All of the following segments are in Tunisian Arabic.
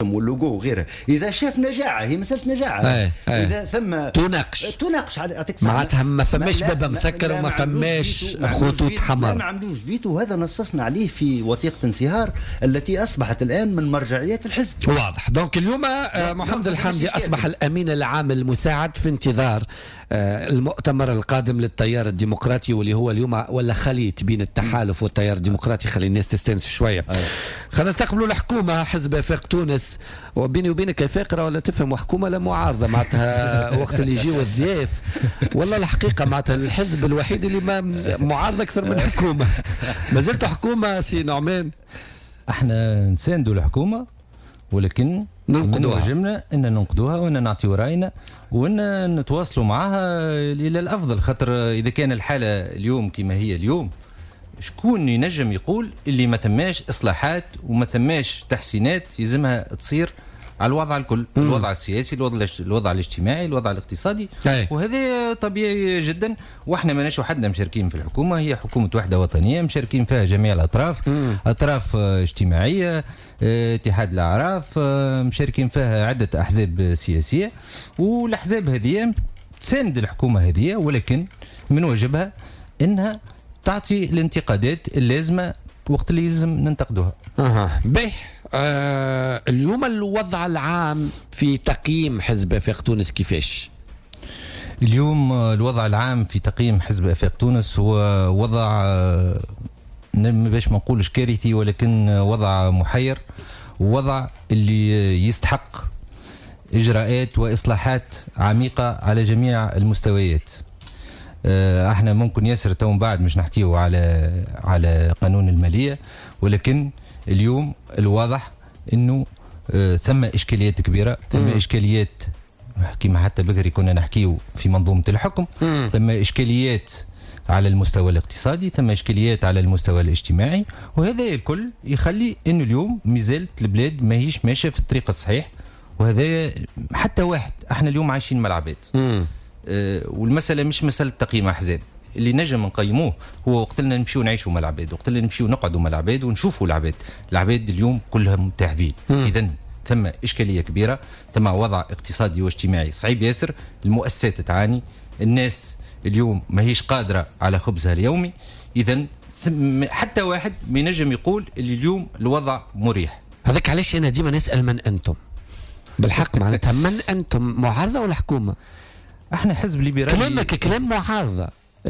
واللوجو وغيرها. اذا شاف نجاعه، هي مسالة نجاعه. أي. أي. اذا ثم تناقش، يعطيك معناتها ما فماش باب مسكر وما فماش خطوط حمراء. ما عملوش فيتو، وهذا نصصنا عليه في وثيقة انصهار التي اصبحت الان من مرجعيات الحزب. واضح. donc اليوم محمد الحامدي اصبح الامين العام المساعد في انتظار المؤتمر القادم للتيار الديمقراطي، واللي هو اليوم ولا خليط بين التحالف والتيار الديمقراطي. خلي الناس تستانس شوية. خلينا نستقبلوا الحكومه، حزب افاق تونس. وبيني وبينك افاق ولا تفهم حكومة لا معارضة، معناتها وقت اللي يجيو الضياف والله الحقيقة معناتها الحزب الوحيد اللي ما معارضة اكثر من حكومة. ما زلت حكومة سي نعمان؟ احنا نساندوا الحكومة، ولكن ننقدوها. واجبنا ان ننقدوها وان نعطيو راينا وان نتواصلوا معها الى الافضل، خاطر اذا كان الحالة اليوم كما هي اليوم، شكون ينجم يقول اللي ما ثماش اصلاحات وما ثماش تحسينات يلزمها تصير على الوضع الكل؟ الوضع السياسي، الوضع الاجتماعي، الوضع الاقتصادي. وهذا طبيعي جدا، واحنا ماناش وحدنا مشاركين في الحكومه، هي حكومة وحده وطنية مشاركين فيها جميع الاطراف. اطراف اجتماعيه، اتحاد الاعراف، مشاركين فيها عده احزاب سياسيه، والاحزاب هذه تساند الحكومة هذه، ولكن من واجبها انها تعطي الانتقادات اللازمة وقت اللي يلزم ننتقدوها. اها به. اليوم الوضع العام في تقييم حزب افاق تونس كيفاش؟ اليوم الوضع العام في تقييم حزب افاق تونس هو وضع باش ما نقولش كارثي، ولكن وضع محير، وضع اللي يستحق اجراءات واصلاحات عميقة على جميع المستويات. احنا ممكن ياسر تو من بعد مش نحكيو على قانون الماليه، ولكن اليوم الواضح انه ثم اشكاليات كبيرة، ثم اشكاليات كما حتى بكري كنا نحكيو في منظومة الحكم، ثم اشكاليات على المستوى الاقتصادي، ثم اشكاليات على المستوى الاجتماعي، وهذا الكل يخلي انه اليوم مازالت البلاد ماهيش ماشية في الطريق الصحيح. وهذا حتى واحد، احنا اليوم عايشين مع العباد. والمسألة مش مسألة تقييم أحزاب، اللي نجم نقيموه هو وقت اللي نمشيو نعيشوا مع العباد، وقت اللي نمشيو نقعدوا مع العباد ونشوفوا العباد. العباد اليوم كلهم تعبين. إذا ثم إشكالية كبيرة، ثم وضع اقتصادي واجتماعي صعيب ياسر، المؤسسات تعاني، الناس اليوم ماهيش قادرة على خبزها اليومي. إذا حتى واحد ما ينجم يقول اللي اليوم الوضع مريح. هذاك علاش أنا ديما نسأل من أنتم بالحق، معناتها من أنتم، معارضة ولا حكومة؟ احنا حزب ليبرالي. كلامك كلام معارضة،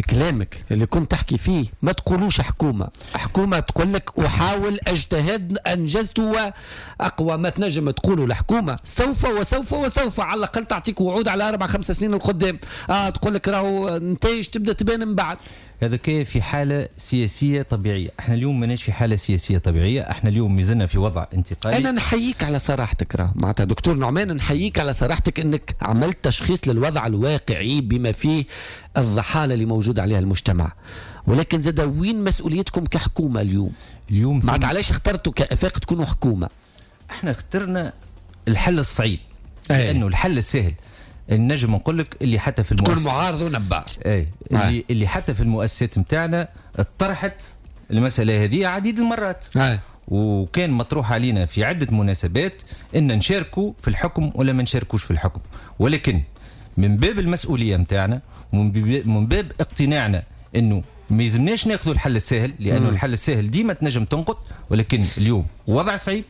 كلامك اللي كنت تحكي فيه ما تقولوش حكومة. حكومة تقول لك أحاول أجتهد أنجزت وأقوى ما تنجم تقولوا الحكومة سوف وسوف وسوف، على الأقل تعطيك وعود على 4-5 سنين القدام. تقول لك راهو نتائج تبدأ تبان من بعد. هذا كيف في حالة سياسية طبيعية. احنا اليوم ماناش في حالة سياسية طبيعية، احنا اليوم مازلنا في وضع انتقالي. انا نحييك على صراحتك، راه معناتها دكتور نعمان نحييك على صراحتك انك عملت تشخيص للوضع الواقعي بما فيه الضحالة اللي موجود عليها المجتمع، ولكن زاد وين مسؤوليتكم كحكومة اليوم؟ اليوم معناتها علاش اخترتوا كأفاق تكونوا حكومة؟ احنا اخترنا الحل الصعيب، لانه الحل السهل النجم نقول لك اللي حتى في المؤسسات تكون معارض ونبار. اي اللي حتى في المؤسسات نتاعنا طرحت المسالة هذه عديد المرات. وكان مطروح علينا في عده مناسبات ان نشاركوا في الحكم ولا ما نشاركوش في الحكم، ولكن من باب المسؤولية نتاعنا ومن باب اقتناعنا انه ما يلزمناش ناخذوا الحل السهل، لانه الحل السهل ديما تنجم تنقط، ولكن اليوم وضع صعيب.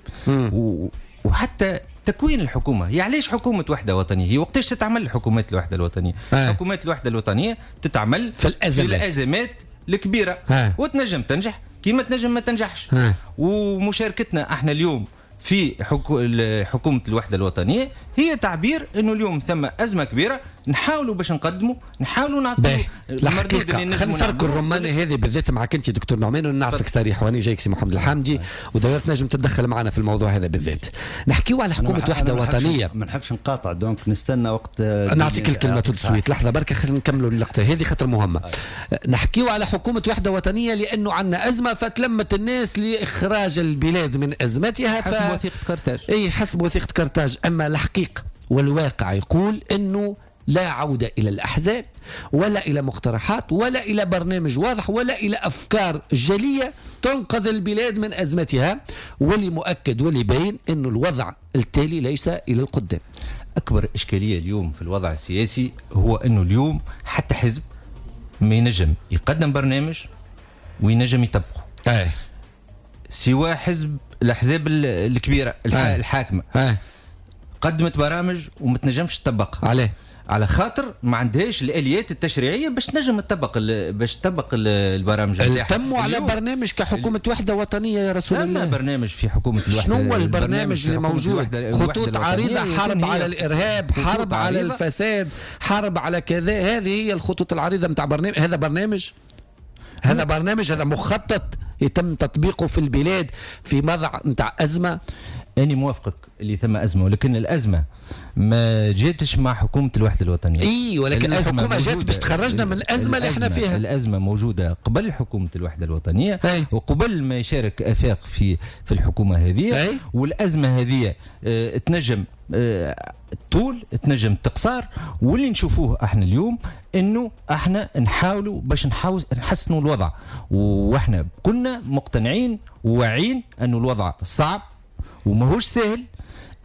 وحتى تكوين الحكومة، هي علاش حكومة وحده وطنية؟ هي وقتاش تتعمل حكومات الوحدة الوطنية؟ حكومات الوحدة الوطنية تتعمل في الازمات الكبيرة. وتنجم تنجح كيما تنجم ما تنجحش. ومشاركتنا احنا اليوم في حكومة الوحدة الوطنية هي تعبير انه اليوم ثم ازمة كبيرة، نحاولوا باش نقدموا، نحاولوا نعطيو المردود اللي خلينا نفرقوا الرمانه هذه بالذات معك انت دكتور نعمان، ونعرفك صريح واني جايك سي محمد الحامدي، ودورت نجم تتدخل معنا في الموضوع هذا بالذات. نحكيو على حكومة وحده وطنية. ما نحبش نقاطع، donc نستنى وقت نعطيك الكلمة tout de suite. لحظة بركة خلينا نكملوا اللقطة هذه خاطر مهمة. نحكيو على حكومة وحده وطنية لانه عندنا ازمة، فتلمت الناس لاخراج البلاد من ازمتها حسب وثيقة قرطاج. اي حسب وثيقة قرطاج. اما الحقيقة والواقع يقول انه لا عودة إلى الأحزاب ولا إلى مقترحات ولا إلى برنامج واضح ولا إلى أفكار جلية تنقذ البلاد من أزمتها، واللي مؤكد واللي باين أنه الوضع التالي ليس إلى القدام. أكبر إشكالية اليوم في الوضع السياسي هو أنه اليوم حتى حزب ما ينجم يقدم برنامج وينجم يطبقه. سوى حزب الأحزاب الكبيرة الحاكمة. قدمت برامج وما تنجمش تطبقها. عليه؟ على خاطر ما عندهاش الاليات التشريعية باش تنجم تطبق باش تطبق البرامج نتاعها. تموا على برنامج كحكومة وحده وطنية يا رسول الله. برنامج في حكومة الوحدة. شنو هو البرنامج اللي موجود؟ خطوط عريضة، حرب على الارهاب، حرب على الفساد، حرب على كذا، هذه هي الخطوط العريضة نتاع برنامج. هذا برنامج؟ هذا برنامج، هذا مخطط يتم تطبيقه في البلاد في وضع نتاع ازمة. أنا موافقك اللي ثم أزمة، ولكن الأزمة ما جاتش مع حكومة الوحدة الوطنية. إي، ولكن الحكومة جات باش تخرجنا من الأزمة اللي احنا فيها. الأزمة موجودة قبل حكومة الوحدة الوطنية. وقبل ما يشارك آفاق في الحكومة هذه. والأزمة هذه تنجم طول، تنجم تقصار. واللي نشوفوه احنا اليوم انه احنا نحاولوا باش نحسنوا الوضع، واحنا كنا مقتنعين وواعيين انه الوضع صعب وماهوش سهل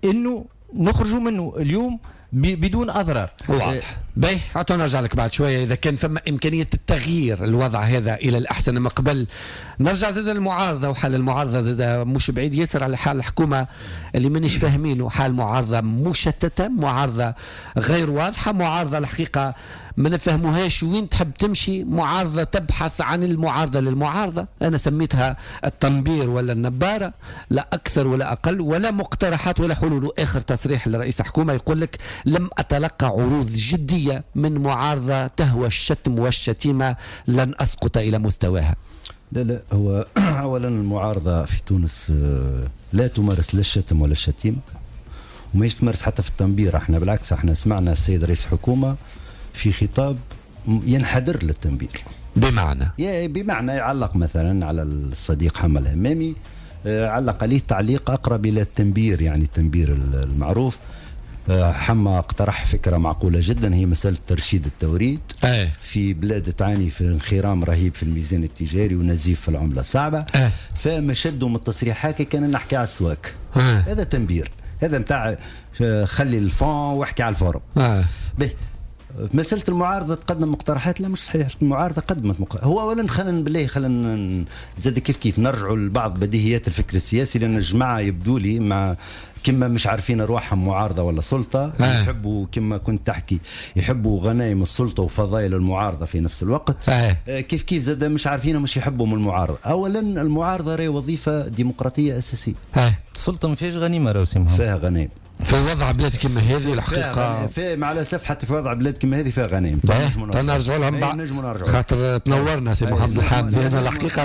انه نخرجوا منه اليوم بدون اضرار. واضح. باهي، عطونا نرجع لك بعد شوية اذا كان فما امكانية التغيير الوضع هذا الى الاحسن. ما قبل نرجع زاد المعارضة، وحال المعارضة زاد مش بعيد ياسر على حال الحكومة اللي مانيش فاهمينه، حال معارضة مشتتة، معارضة غير واضحة، معارضة الحقيقة ما نفهموهاش وين تحب تمشي، معارضة تبحث عن المعارضة للمعارضه، انا سميتها التنبير ولا النباره، لا اكثر ولا اقل، ولا مقترحات ولا حلول. اخر تصريح لرئيس الحكومة يقول لك لم اتلقى عروض جدية من معارضة تهوى الشتم والشتيمه، لن اسقط الى مستواها. لا لا، هو اولا المعارضة في تونس لا تمارس لا الشتم ولا الشتيمة، وما تمارس حتى في التنبير. احنا بالعكس، احنا سمعنا السيد رئيس الحكومة في خطاب ينحدر للتنبير. بمعنى؟ بمعنى يعلق مثلا على الصديق حمى الهمامي، علق عليه تعليق أقرب إلى التنبير، يعني التنبير المعروف. حمى اقترح فكرة معقولة جدا، هي مسألة ترشيد التوريد. في بلاد تعاني في انخرام رهيب في الميزان التجاري ونزيف في العملة الصعبة. فما شدوا من التصريحات كان نحكي على السواك. هذا تنبير، هذا متاع خلي ال fond واحكي على ال forme. به مسألة المعارضة تقدم مقترحات، لا مش صحيح. المعارضة قدمت مقترحات. هو أولا خلينا بالله خلينا زاد كيف كيف نرجعوا لبعض بديهيات الفكر السياسي، لأن الجماعة يبدو لي مع كما مش عارفين أرواحهم معارضة ولا سلطة. يحبوا كما كنت تحكي، يحبوا غنايم السلطة وفضائل المعارضة في نفس الوقت. كيف كيف زاد مش عارفين مش يحبوا من المعارضة. أولا المعارضة راهي وظيفة ديمقراطية أساسية. السلطة ما فيهاش غنيمة راهو سي محمد. فيها غنايم في وضع بلاد كما هذه الحقيقة. في مع الأسف حتى في وضع بلاد كما هذه فيها غنايم. نرجعوا لهم بعد خاطر تنورنا سي محمد الحامدي. أنا الحقيقة